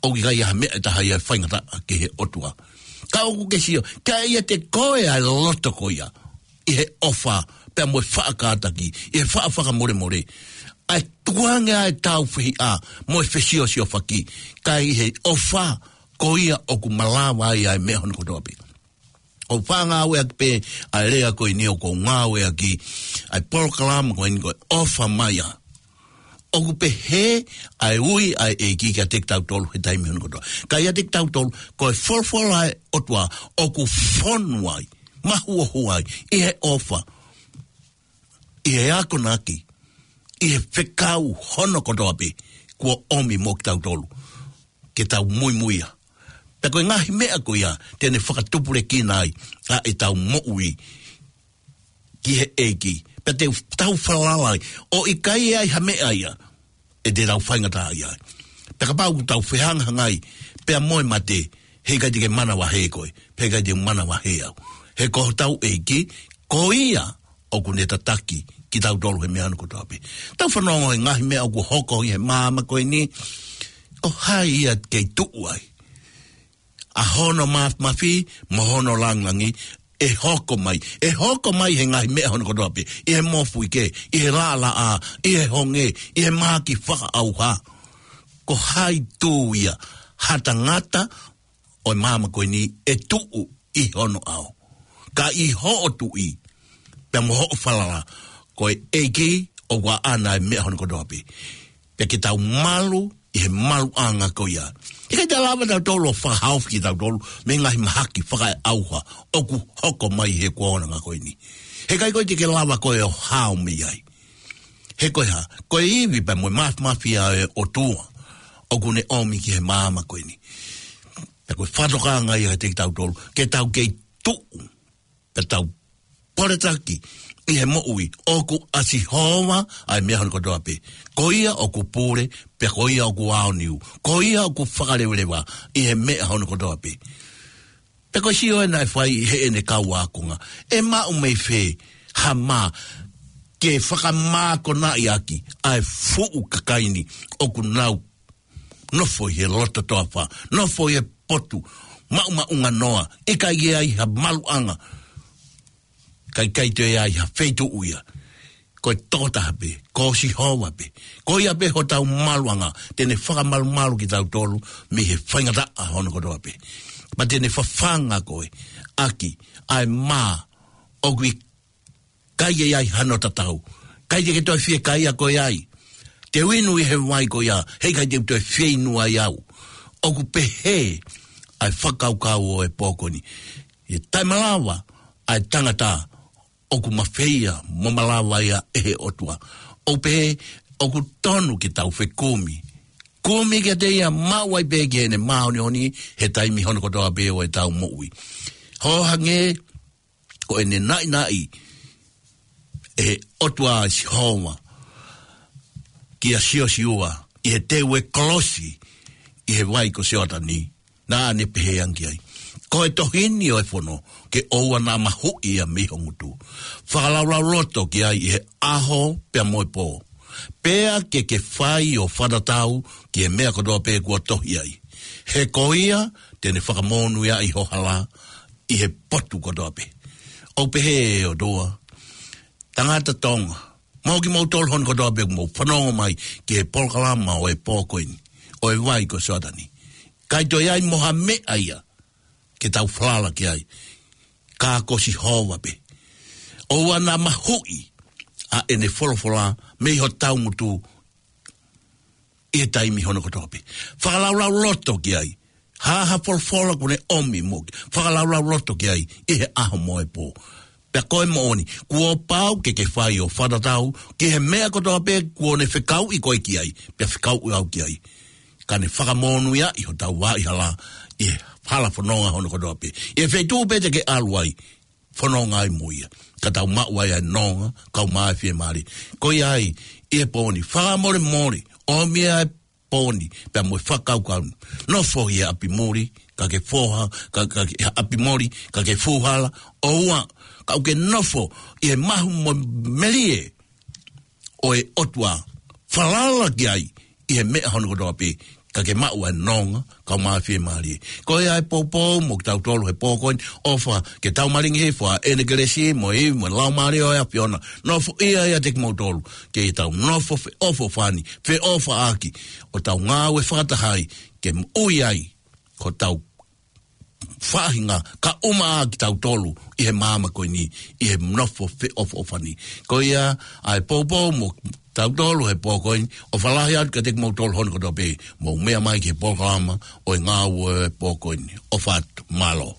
ʻoku ʻikai ha meʻa ʻe taha ia ʻe faingataʻa ki he ʻOtua. Ka ʻoku ke sio, ka ʻiate koe ʻa e loto ko ia, ʻi he ʻofa, pea mo e faʻa kātaki, ʻi he faʻa fakamolemole, ʻa e tukuange ʻa e tau fehiʻa, mo e fesiosiofaki, ka ʻi he ʻofa, ko ia ʻoku malava ai ʻa e meʻa hono kotoa pē. ʻOku ou faʻa ngāueʻaki pē ʻa e lea ko eni ʻoku ou ngāueʻaki, ʻa e polokalama ko eni ko e ʻOfa Mai ā. ʻOku pehē ʻa e ui ʻa e ʻEiki kiate kitautolu he taimi hono kotoa. Ka ʻiate kitautolu, ko e folofola ʻa e ʻOtua ʻoku fonu ai, mahuohua ai, ʻi he ʻofa, ʻi he akonaki, ʻi he fekau hono kotoa pē, kuo ʻomi mo kitautolu ke tau muimuia. Pea ko e ngaahi meʻa ko ia, te ne fakatupulekina ai ʻa ʻetau moʻui ki he ʻEiki. Pea te tau falala ai, ʻo ʻikai ʻe ai ha meʻa ia ʻe te tau faingataʻaʻia ai. Pea kapau ʻoku tau fehangahangai pea mo e mate, heʻikai te ke manavahē koe, pea ʻikai te u manavahē au. He ko hotau ʻEiki, ko ia ʻoku ne tataki kitautolu he meʻa hono kotoa pē. Tau fanongo he ngaahi meʻa ʻoku hoko ʻi he māmani ko eni, ko hai ia kei tuʻu ai ʻa hono māfimafi mo hono langilangi, ʻe hoko mai, ʻe hoko mai he ngaahi meʻa hono kotoa pē, ʻi he mofuike, ʻi he laʻalaʻā, ʻi he honge, ʻi he mahaki fakaʻauha. Ko hai tū ia, ha tangata ʻo e māmani ko eni ʻe tuʻu ʻi hono ʻao. Ka ʻi hoʻo tuʻi, pea mo hoʻo falala, ko e ʻEiki ʻoku ʻaʻana e meʻa hono kotoa pē. Pea ke tau malu ʻi he maluʻanga ko ia. ʻIkai te lava tautolu ʻo fakahaofi kitautolu mei he ngaahi mahaki fakaʻauha ʻoku hoko mai he kuonga ko eni. Heʻikai koe te ke lava koe ʻo hao mei ai. He ko e hā, ko e ivi pea mo e māfimafi ʻa e ʻOtua ʻoku ne ʻomi ki he māmani ko eni. Pea ko e fakatokanga ia kiate kitautolu, ke tau kei tuʻu, pea tau poletaki ʻi he moʻui, ʻoku ʻa Sihova ʻa e meʻa hono kotoa pē. Ko ia ʻoku pule, pea ko ia ʻoku aoniu. Ko ia ʻoku fakalevaleva ʻi he meʻa hono kotoa pē. Pea ko e sio ē naʻe fai ʻe heʻene kau ākonga, ʻe maʻu mei fē ha mā ke fakamākonaʻi ʻaki ʻa e fuʻu kakai ni ʻoku nau nofo ʻi he loto toafa, nofo ʻi he potu maʻumaʻunga noa, ʻikai ke ai ha maluʻanga, ʻikai ke toe ai ha feituʻu ia. Ko e tokotaha pē, ko Sihova pē. Ko ia pē hotau maluʻanga, te ne fakamalumalu kitautolu mei he faingataʻa hono kotoa pē. Pea te ne fafanga koe ʻaki ʻa e mā ʻoku ʻikai ke ai hano tatau. ʻIkai te ke toe fiekaia koe ai. Te u inu ʻi he vai ko ia, heʻikai te u toe fieinua ai au. ʻOku pehē ʻa e fakakaukau ʻo e pō ko eni. ʻE taʻemalava ʻa e tangata ʻoku mafeia mo malava ia ʻe he ʻOtua. ʻOku pehē ʻoku tonu ke tau fekumi. Kumi kiate ia, maʻu ai pē ki heʻene māʻoniʻoni he taimi hono kotoa pē ʻo ʻetau moʻui. Hangē ko ʻene naʻinaʻi ʻe he ʻOtua ʻa Sihova kia Siosiua ʻi he teu e kolosi ʻi he vai ko Sioatani, naʻa ne pehē ange ki ai: Ko e tohi ni ʻo e fono, ke ʻoua naʻa mahuʻi ia mei ho ngutu. Fakalaulauloto ki ai ʻi he ʻaho pea mo e pō, pea ke ke fai ʻo fakatatau ki he meʻa kotoa pē kuo tohi ai. He ko ia te ne fakamonūʻiaʻi ho hala ʻi he potu kotoa pē. ʻOku pehē ʻe he ʻOtua, tangata Tonga, mo kimoutolu hono kotoa pē ʻoku mou fanongo mai ki he polokalama ʻo e pō ko eni, ʻo e vai ko Sioatani, ʻikai toe ai mo ha meʻa ia ke tau falala ki ai, ka ko Sihova pē. ʻOua naʻa mahuʻi ʻa ʻene folofola mei hotau ngutu ʻi he taimi hono kotoa pē. Fakalaulauloto ki ai. Hā ha folofola kuo ne ʻomi mo ke fakalaulauloto ki ai ʻi he ʻaho mo e pō. Pea ko e moʻoni, kuo pau ke ke fai ʻo fakatatau ki he meʻa kotoa pē kuo ne fekauʻi koe ki ai, pea fekauʻi au ki ai. Ka ne fakamonūʻiaʻi hotau vaʻa hala ʻi he hala fononga hono kotoa pē. ʻI he feituʻu pē te ke ʻalu ai, fononga ai mo ia, ka tau maʻu ai ʻa e nonga, kau mai fiemālie. Ko ia ai, ʻi he pō ni, fakamolemole, ʻomi ʻa e pō ni pea mo e fakakaukau. Nofo ʻi he ʻapi muli, ka ke foha, ka, ka, ʻi he ʻapi muli, ka ke fuhala, ʻoua, ka ʻoku ke nofo ʻi he mahu mo e melie ʻo e ʻOtua. Falala ki ai, ʻi he meʻa hono kotoa pē, ka ke maʻu ʻa e nonga, kau mā fiemālie. Ko ia ʻa e poupou mo kitautolu he pō ko eni, ʻofa ke tau malingi hifo ʻa ʻene kelesi mo e ivi mo e laumālie ʻo e ʻAfiona. Nofoʻia ʻiate kimoutolu, ke tau nofo feʻofoʻofani, feʻofaʻaki, ʻo tau ngāue fakataha ai, ke moʻui ai, ko tau faʻahinga, kae ʻumaʻā kitautolu ʻi he māmani ko eni, ʻi he nofo feʻofoʻofani. Ko ia ʻa e poupou mo tautolu he pō ko eni, ʻofa lahi atu kiate kimoutolu hono kotoa pē, mou meʻa mai ki he polokalama ʻo e ngāue ʻo e pō ko eni. ʻOfa atu, mālō.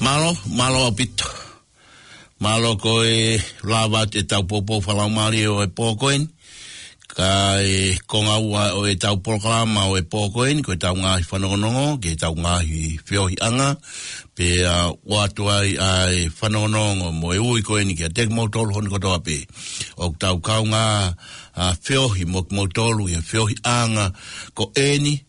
Mālō, mālō ʻaupito. Mālō ko e lava atu ʻetau poupou fakalaumālie ʻo e pō ko eni. Ka e konga ua ʻo ʻetau polokalama ʻo e pō ko eni, ko ʻetau ngaahi fanongonongo, ki heʻetau ngaahi feohiʻanga, pea ʻoatu ai ʻa e fanongonongo mo e ui ko eni kiate kimoutolu hono kotoa pē. ʻOku tau kaungā, ʻa, feohi mo kimoutolu, ʻi he feohiʻanga ko eni,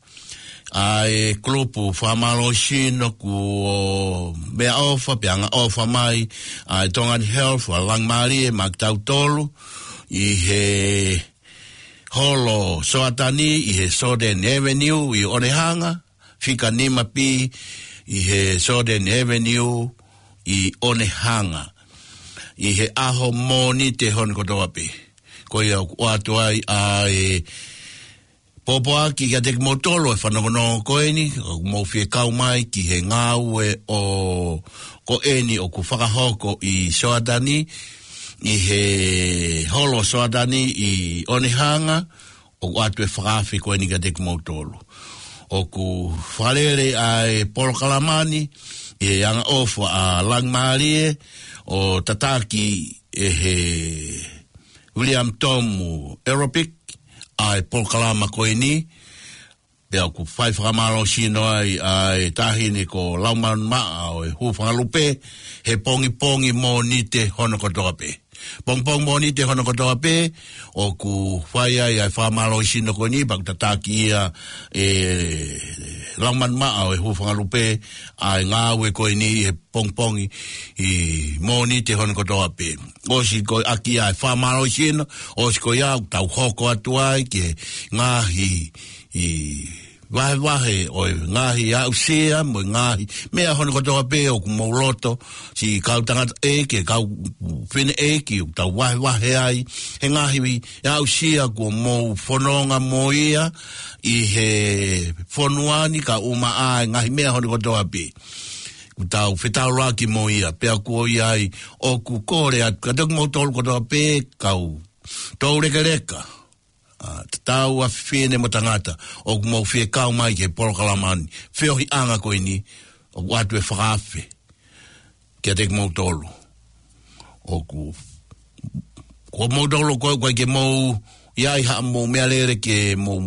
ʻa e kulupu fakamālohisino kuo meʻaʻofa, pea angaʻofa mai, ʻa e Tongan Health, ʻa Langimālie, maʻa kitautolu, ʻi he holo Soatani, ʻi he Soden Avenue, ʻi ʻOnehanga, fika nima pī, ʻi he Soden Avenue, ʻi ʻOnehanga. ʻI he ʻaho Mōnite hono kotoa pē. Ko ia ʻoku ʻoatu ai ʻa e pōpoaki kiate kimoutolu ʻa e fanongonongo ko eni, ʻoku mou fie kau mai ki he ngāue ʻo ko eni ʻoku fakahoko ʻi Soatani, ʻi he holo Soatani ʻi ʻOnehanga, ʻoku ʻoatu e fakaafe ko eni kiate kimoutolu. ʻOku fakalele ʻa e polokalama ni, ʻi he angaʻofa ʻa Langimālie, ʻo tataki ʻe he William Tom Aerobic, ʻa e polokalama ko eni, pea ʻoku fai fakamālohisino ai ʻa e taʻahine ko Laumanu Maʻa ʻo e Hūfangalupe, he pongipongi Mōnite hono kotoa pē. Pongipongi Mōnite hono kotoa pē, ʻoku fai ai ʻa e fakamālohisino ko eni, pea ʻoku tataki ia ʻe Laumanu Maʻa ʻo e Hūfangalupe, ʻa e ngāue ko eni he pongipongi ʻi Mōnite hono kotoa pē. ʻOsi ko ia ʻaki ʻa e fakamālohisino, ʻosi ko ia ʻoku tau hoko atu ai ki he ngaahi ʻi vahevahe ʻo e ngaahi aʻusia mo e ngaahi meʻa hono kotoa pē ʻoku mou loto, siʻi kau tangataʻeiki, kau fineʻeiki, ʻoku tau vahevahe ai he ngaahi aʻusia kuo mou fononga mo ia ʻi he fonua ni, kae ʻumaʻā e ngaahi meʻa hono kotoa pē. ʻOku tau fetaulaki mo ia, pea ko ia ai ʻoku kole atu kiate kimoutolu kotoa pē, kau toulekeleka, ʻa, tatau ʻa fefine mo tangata, ʻoku mou fie kau mai ki he polokalama ni, feohiʻanga ko eni, ʻoku ʻoatu e fakaafe kiate kimoutolu. ʻOku, ko moutolu ko ē ʻoku ʻikai ke mou ʻi ai haʻamou meʻalele ke mou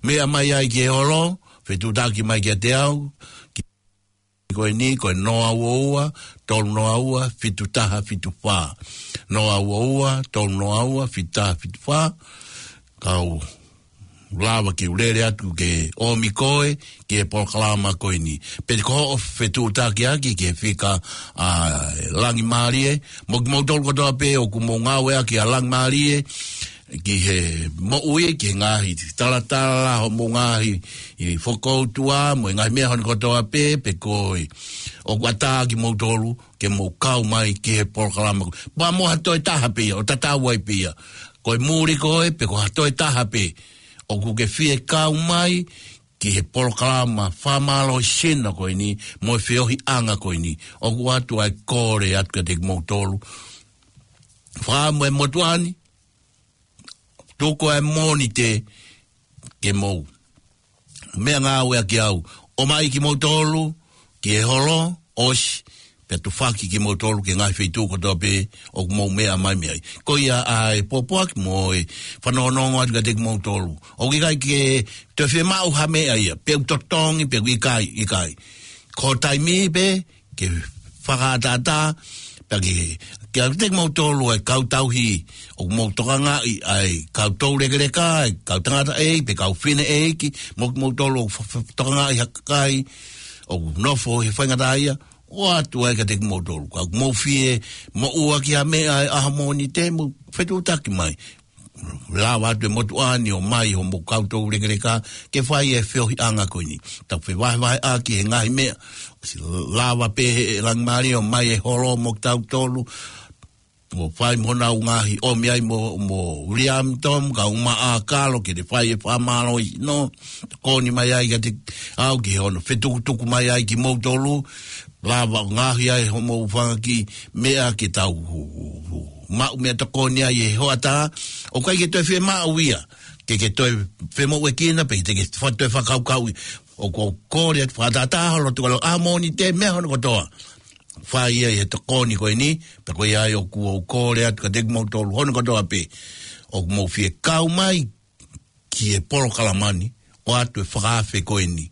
meʻa mai ai ki he holo, fetuʻutaki mai kiate au, ki ko eni, ko e noa ua ua, tolu noa ua, fitu taha fitu fā. Noa ua ua, tolu noa ua, fitu taha fitu fā. Kau lava ke u lele atu ke ʻomi koe ki he polokalama ko eni. Pe ko hoʻo fetuʻutakiʻaki ki he fika ʻa Langimālie, mo kimoutolu kotoa pē ʻoku mou ngāueʻaki ʻa Langimālie ki he moʻui, ki he ngaahi talatala, hoʻomou ngaahi ʻi fokoutua, mo e ngaahi meʻa hono kotoa pē, pe ko e ʻoku ʻatā kimoutolu ke mou kau mai ki he polokalama ko ē. Pea mo ha toe taha pē ia, ʻo tatau ai pē ia. Ko e muli ko ē, pe ko ha toe taha pē, ʻoku ke fie kau mai ki he polokalama fakamālohisino ko eni, mo e feohiʻanga ko eni, ʻoku ʻoatu ʻa e kole atu kiate kimoutolu. Fā mo e motuʻa ni, tuku ʻa e Mōnite ke mou meʻangāueʻaki au. ʻOmai kimoutolu ki he holo, ʻosi, pea tufaki kimoutolu ki he ngaahi feituʻu kotoa pē ʻoku mou meʻa mai mei ai. Ko ia ʻa e pōpoaki mo e fanongonongo atu kiate kimoutolu. ʻOku ʻikai ke toe fiemaʻu ha meʻa ia, pe ʻoku totongi, pe ʻoku ʻikai, ʻikai. Ko e taimi pē, ke fakaʻataʻatā, pea ke, ke ʻave kiate kimoutolu ʻa e kau tauhi, ʻoku mou tokangaʻi ʻa e kau toulekeleka, ʻa e kau tangataʻeiki, pe kau fineʻeiki, mo kimoutolu ʻoku fa-, fa-, tokangaʻi ha kakai ʻoku nofo he faingataʻaʻia, ʻoatu ai kiate kimoutolu. Ka ʻoku mou fie moʻua ki ha meʻa ʻi he ʻaho Mōnite, mou fetuʻutaki mai. Lava atu e motuʻa ni ʻo ʻomai hoʻomou kau toulekeleka ke fai e feohiʻanga ko eni. Tau fevahevaheʻaki he ngaahi meʻa. ʻOsi lava pē ʻe Langimālie ʻo ʻomai e holo mo kitautolu. Mo fai mo honau ngaahi ʻomi ai mo, mo William Tom, kae ʻumaʻā Kalo ke te fai e fakamālohisino ko eni mai ai kiate au ki hono fetukutuku mai ai kimoutolu. Lava ʻo ngaohi ai hoʻomou fanga kiʻi meʻa ke tau maʻu meʻatokoni ai he hoʻatā. ʻOku ʻikai ke toe fiemaʻu ia ke ke toe femoʻuekina pe te ke fa-, toe fakakaukauʻi. ʻOku ou kole atu fakatātā holo tuʻu ʻa Mōnite meʻa hono kotoa. fai ia ʻi he tokoni ko eni, pea ko ia ai ʻoku ou kole atu kiate kimoutolu hono kotoa pē ʻoku mou fie kau mai ki he polokalama ni, ʻoatu e fakaafe ko eni.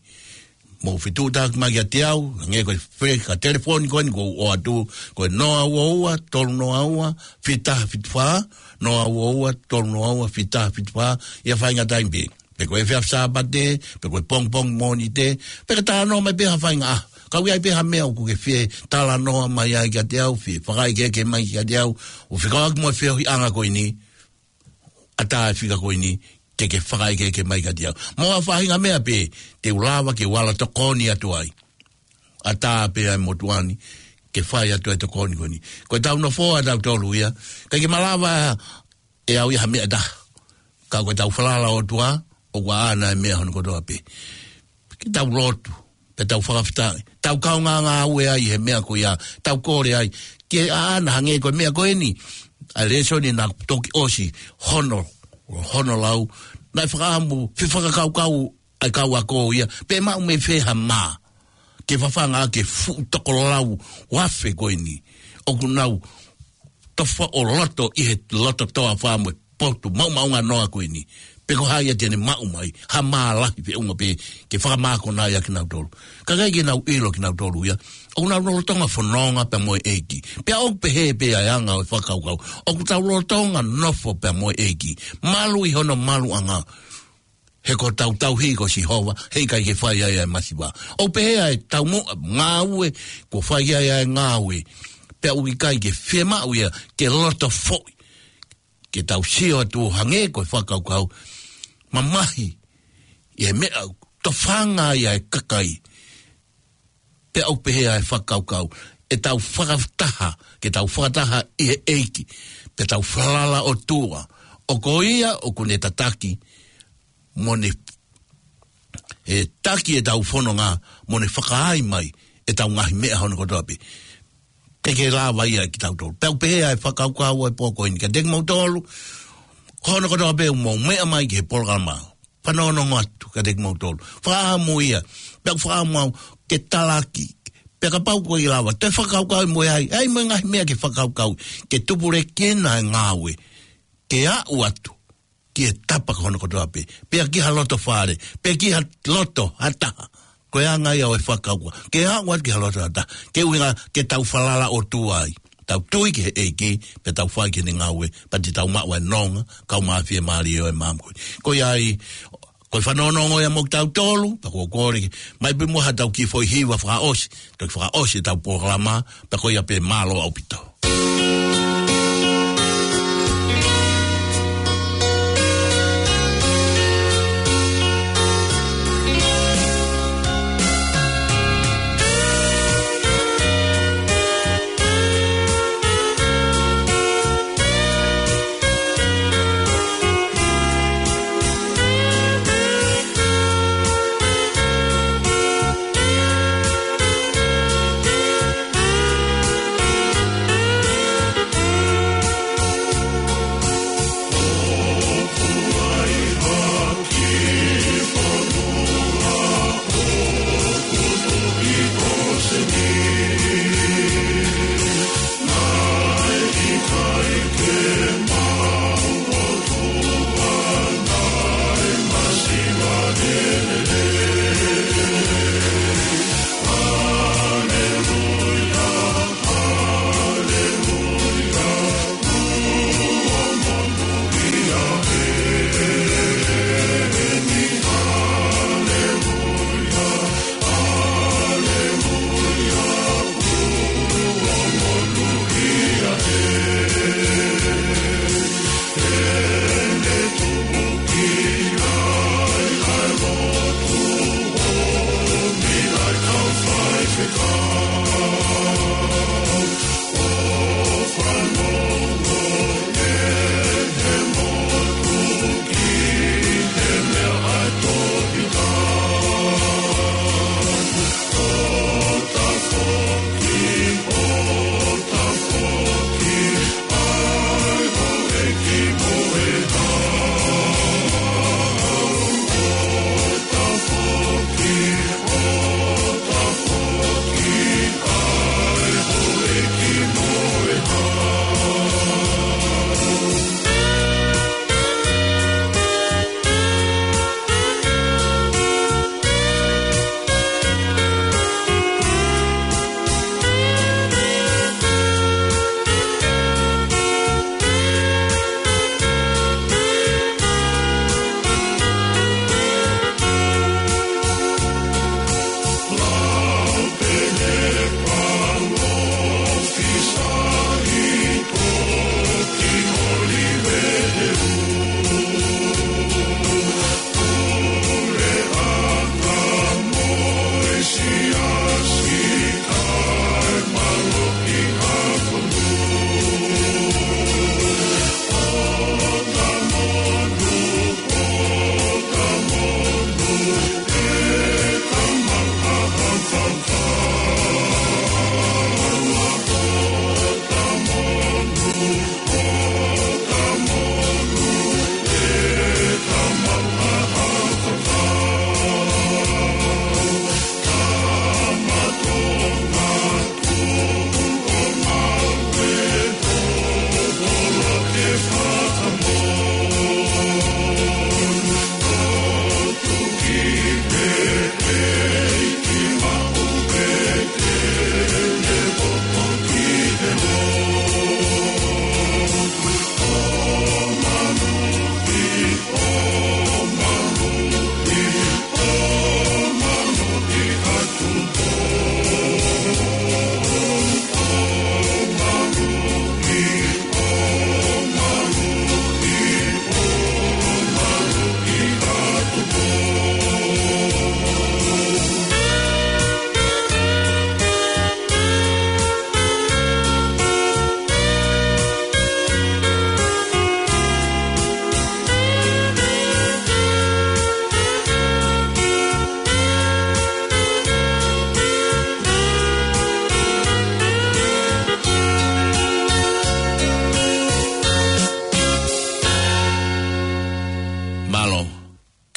Mou fetuʻutaki mai kiate au, hangē ko e fele ka telefoni ko eni ʻoku ou ʻoatu, ko e noa ua ua, tolu noa ua, fitu taha fitu fā, noa ua ua, tolu noa ua, fitu taha fitu fā, ʻi ha faʻahinga taimi pē. Pe ko e efiafi Sāpate, pe ko e pongipongi Mōnite, pe ka talanoa mai pē ha faʻahinga ʻaho. Ka ʻoku ʻi ai pē ha meʻa ʻoku ke fie talanoa mai ai kiate au, fie fakaʻekeʻeke mai kiate au, ʻo fekauʻaki mo e feohiʻanga ko eni, ʻatā e fika ko eni, ke ke fakaʻekeʻeke mai kiate au. Mo ha faʻahinga meʻa pē, te u lava ke u ala tokoni atu ai. ʻAtā pē ʻa e motuʻa ni, ke fai atu e tokoni ko eni. Ko e tau nofo ʻa tautolu ia, ʻikai ke malava ʻe au ia ha meʻa ʻe taha. Ka ko e tau falala ʻOtua, ʻoku ʻaʻana e meʻa hono kotoa pē. Ke tau lotu, pea tau fakafetaʻi. Tau kaungā ngāue ai he meʻa ko ia, tau kole ai. Ke ʻaʻana hangē ko e meʻa ko eni, ʻa e lēsoni naʻe toki ʻosi hono, hono lau. Naʻe fakaʻamu, fefakakaukau, ʻa e kau ako ia, pe maʻu mei fē ha mā. Ke fafanga ke fuʻu toko lau ua afe ko eni. ʻOku nau tofa ʻo loto ʻi he loto toafa mo e potu maʻumaʻunga noa ko eni. Pe ko hai ia te ne maʻu mai, ha mā lahi feʻunga pē ke fakamākona ia kinautolu. Ka ʻikai ke nau ʻilo kinautolu ia. ʻOku nau lolotonga fononga pea mo e ʻEiki. Pea ʻoku pehē pē ʻa e anga ʻo e fakakaukau. ʻOku tau lolotonga nofo pea mo e ʻEiki. Malu ʻi hono maluʻanga. He ko hotau tauhi ko Sihova, heʻikai ke fai ai ʻa e masiva. ʻOku pehē ʻa e taumuʻa ngāue, kuo fai ai ʻa e ngāue. Pea ʻoku ʻikai ke fiemaʻu ia, ke loto foʻi. Ke tau sio atu ʻo hangē ko e fakakaukau. Mamahi, ʻi he meʻa, tofanga ai ʻa e kakai. Pea ʻoku pehē ʻa e fakakaukau, ʻe tau fakataha, ke tau fakataha ʻi he ʻEiki, pea tau falala ʻOtua, ʻoku ʻo ia ʻoku ne tataki, mo ne, ʻe taki ʻetau fononga, mo ne fakaai mai, ʻetau ngaahi meʻa hono kotoa pē. Te ke lava ia kitautolu. Pea ʻoku pehē ʻa e fakakaukau ʻo e pō ko eni, kiate kimoutolu, ko hono kotoa pē ʻoku mou meʻa mai ki he polokalama. Fanongonongo atu kiate kimoutolu. Fakaʻamu ia. Pea ʻoku fakaʻamu au ke talaki. Pea kapau ʻoku ʻikai lava, te fakakaukau mo e ai. ʻAi mo e ngaahi meʻa ke fakakaukau. Ke tupulekina e ngāue. Ke aʻu atu. Ki he tapa ko hono kotoa pē. Pea ki ha loto fale. Pea ki ha loto ha taha. Ko e anga ia ʻo e fakakaukau. Ke aʻu atu ki ha loto ha taha. Ke ʻuhinga ke tau falala ʻOtua ai. Tau tui ki he ʻEiki, pea tau fai ki heʻene ngāue, pea te tau maʻu ʻa e nonga, kau mafie mālie ʻo e maama ko ē. Ko ia ai, ko e fanongonongo ia mo kitautolu, pea ko e kole ke, mai pē muʻa ha tau kiʻi foʻi hiva fakaʻosi, toki fakaʻosi ʻetau polokalama, pea ko ia pē mālō ʻaupito.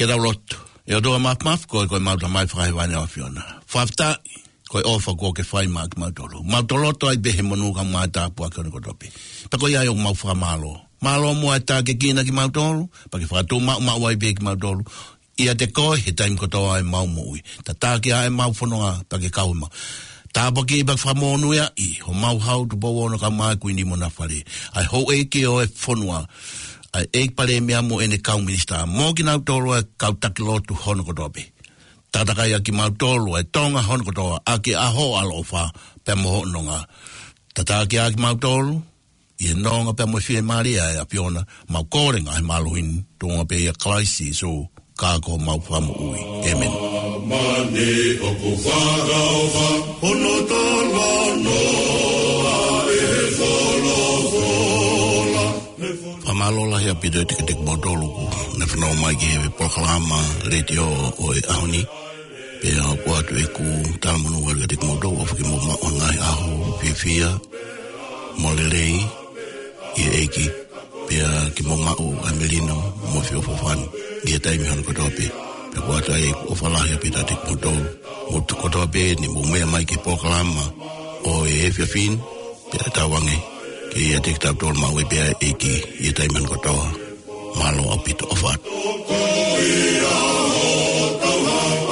Tau lotu. ʻE ʻOtua Māfimafi, ko e, ko ʻemau Tamai Fakahēvani ʻa e ʻAfiona. Fakafetaʻi, ko e ʻofa kuo ke fai maʻa kimautolu. Mau toloto ai pē he monū kae ʻumaʻā e tāpuaki hono kotoa pē. Pea ko ia ʻoku mau fakamālō. Mālō muʻa e tākiekina kimautolu, pea ke fakatuʻumaʻumaʻu ai pē kimautolu ʻiate koe he taimi kotoa ʻemau moʻui. Tataki ʻa ʻemau fononga, pea ke kau ʻemau. Tāpuakiʻi pea fakamonūʻiaʻi homau Hau Tupou Ono kae ʻumaʻā e Kuini mo ʻena fale. ʻA e houʻeiki ʻo e fonua, ʻa e ʻEiki Palēmia mo ʻene kau minisitā. Mo kinautolu ʻa e kau taki lotu hono kotoa pē. Takatakai ʻa kimautolu ʻa e Tonga hono kotoa, ʻaki ʻa hoʻo ʻaloʻofa pea mo hoʻo nonga. Tataki ʻa kimautolu ʻi he nonga pea mo e fiemālie ʻa e ʻAfiona. Mau kole ngaahi mālohi ni, tuʻunga pē ʻia Kalaisi Sīsū, ka ko homau Fakamoʻui. ʻĒmeni. Mani ʻoku fakaʻofa, hono tala noa ʻe he folofola. Fakamālō lahi ʻaupito ʻiate kimoutolu kuo ne fanongo mai ki he polokalama letiō ʻo e ʻaho ni. Pea ʻoku ʻoatu ʻeku talamonū atu kiate kimoutolu, ʻofa ke mou maʻu ha ngaahi ʻaho fiefia mo lelei ʻi he ʻEiki. Pea ke mou maʻu ʻa e melino mo e feʻofoʻofani ʻi he taimi hono kotoa pē. Pea ʻoku ʻoatu ai ʻeku ʻofa lahi ʻaupito kiate kimoutolu, mou kotoa pē ni mou meʻa mai ki he polokalama ʻo e efiafi ni, pea tauange ke ʻiate kitautolu maʻu ai pē ʻa e ʻEiki ʻi he taimi hono kotoa. Mālō ʻaupito, ʻofa atu.